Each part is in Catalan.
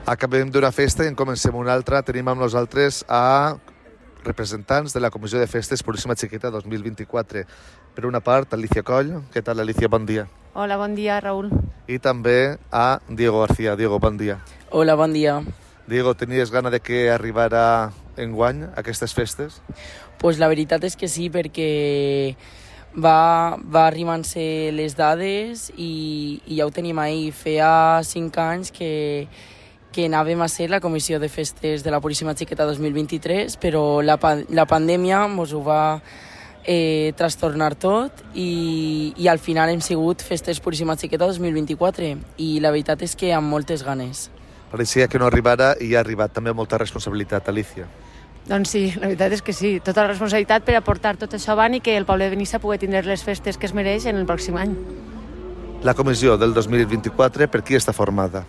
Acabem d'una festa i en comencem una altra. Tenim amb nosaltres a representants de la Comissió de Festes Puríssima Xiqueta 2024. Per una part, Alicia Coll. Què tal, Alicia? Bon dia. Hola, bon dia, Raül. I també a Diego García. Diego, bon dia. Hola, bon dia. Diego, tenies gana de que arribara enguany aquestes festes? Pues la veritat és que sí, perquè va arribant-se les dades i ja ho tenim ahir. Feia 5 anys que anàvem a ser la Comissió de Festes de la Puríssima Xiqueta 2023, però la pandèmia ens ho va trastornar tot i al final hem sigut Festes Puríssima Xiqueta 2024 i la veritat és que amb moltes ganes. Pareixia que no arribara i ha arribat també amb molta responsabilitat, Alicia. Doncs sí, la veritat és que sí, tota la responsabilitat per aportar tot això avant i que el poble de Benissa pugui tindre les festes que es mereix en el pròxim any. La comissió del 2024, per qui està formada?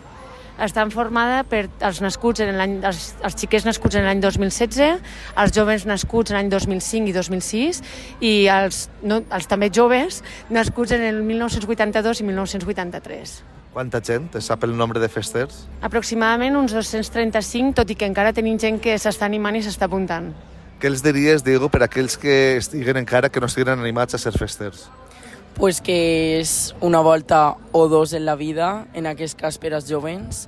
Està formada per els xiquets nascuts en l'any 2016, els joves nascuts en l'any 2005 i 2006 i els també joves nascuts en el 1982 i 1983. Quanta gent? Es sap el nombre de festers? Aproximadament uns 235, tot i que encara tenim gent que s'està animant i s'està apuntant. Què els diries, Diego, per a aquells que estiguen encara que no estiguin animats a ser festers? Pues que és una volta o dos en la vida, en aquest cas per als jovens.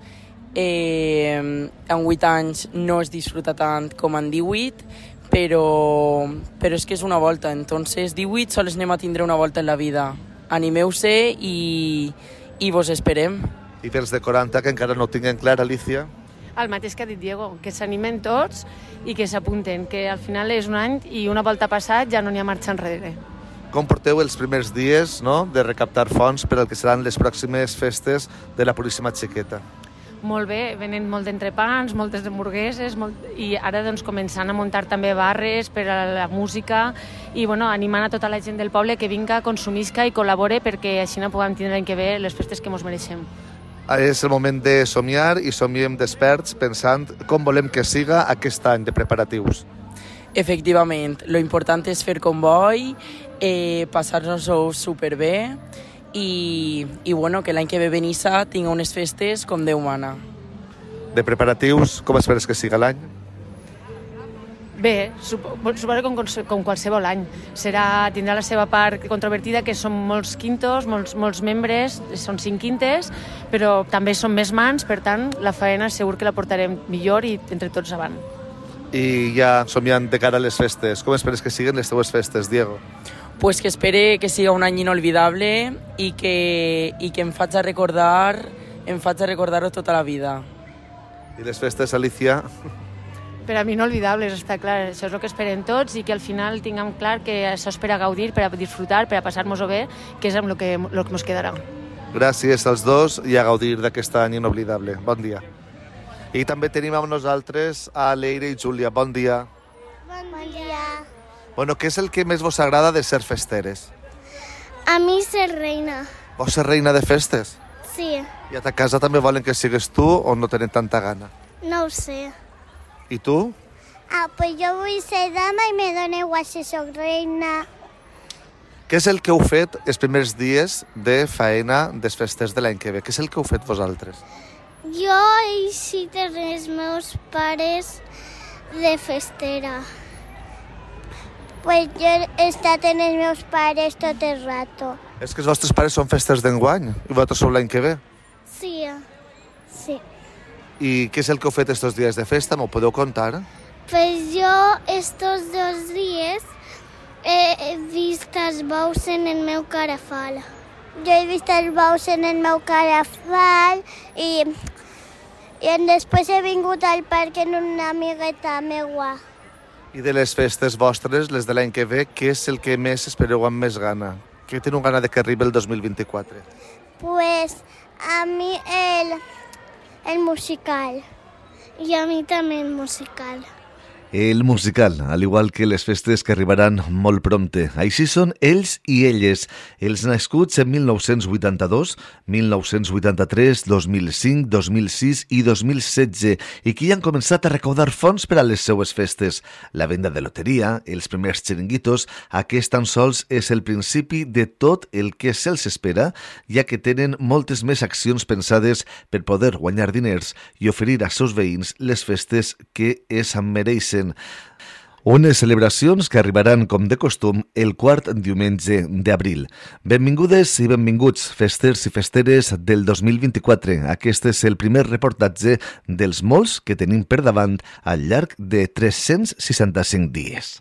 En 8 anys no es disfruta tant com en 18, però és que és una volta. Entonces, 18 sols anem a tindre una volta en la vida. Animeu-se i vos esperem. I pels de 40 que encara no ho tinguen clar, Alicia? El mateix que ha dit Diego, que s'animen tots i que s'apunten, que al final és un any i una volta passat ja no n'hi ha marxa enrere. Com porteu els primers dies, no?, de recaptar fons per al que seran les pròximes festes de la Puríssima Xiqueta? Molt bé, venen molt d'entrepans, moltes hamburgueses i ara doncs començant a muntar també barres per a la música i animant a tota la gent del poble que vinga, consumisca i col·labore perquè així no puguem tindre l'any que ve les festes que ens mereixem. És el moment de somiar i somiem desperts pensant com volem que siga aquest any de preparatius. Efectivament, lo important és fer comboi, passar-nos-ho superbé i que l'any que ve Benissa tingui unes festes com Déu mana. De preparatius, com esperes que siga l'any? Bé, suposo com qualsevol any. Tindrà la seva part controvertida, que són molts quintos, molts membres, són 5 quintes, però també són més mans, per tant, la faena segur que la portarem millor i entre tots avant. I ja somiant de cara a les festes, com esperes que siguin les teues festes, Diego? Pues que espere que siga un any inolvidable i que em faig a recordar-ho tota la vida. I les festes, Alicia? Per a mi inolvidables, està clar. Això és el que esperem tots i que al final tinguem clar que això és per a gaudir, per a disfrutar, per a passar-nos-ho bé, que és amb el que ens quedarà. Gràcies als dos i a gaudir d'aquest any inoblidable. Bon dia. I també tenim amb nosaltres a Leire i Júlia. Bon dia. Bon dia. Bueno, què és el que més vos agrada de ser festeres? A mi ser reina. Vols ser reina de festes? Sí. I a ta casa també volen que sigues tu o no tenen tanta gana? No ho sé. I tu? Pues jo vull ser dama i me dona igual si soc reina. Què és el que heu fet els primers dies de faena des festes de l'any que ve? Què és el que heu fet vosaltres? Jo he eixit els meus pares de festera. Pues jo he estat amb els meus pares tot el rato. És que els vostres pares són festes d'enguany i vosaltres sou l'any que ve. Sí. I què és el que heu fet estos dies de festa? M'ho podeu contar? Pues jo estos 2 dies he vist els bous en el meu carafal. Jo he vist els bous en el meu carafal i després he vingut al parc amb una amigueta meua. I de les festes vostres, les de l'any que ve, què és el que més espereu amb més gana? Què teniu gana de que arribi el 2024? Pues a mi el musical. I a mi també el musical. el musical, al igual que les festes que arribaran molt prompte. Així són ells i elles, els nascuts en 1982, 1983, 2005, 2006 i 2016 i que ja han començat a recaudar fons per a les seues festes. La venda de loteria, els primers xiringuitos, aquest tan sols és el principi de tot el que se'ls espera, ja que tenen moltes més accions pensades per poder guanyar diners i oferir als seus veïns les festes que es mereixen. Unes celebracions que arribaran, com de costum, el quart diumenge d'abril. Benvingudes i benvinguts, festers i festeres del 2024. Aquest és el primer reportatge dels molts que tenim per davant al llarg de 365 dies.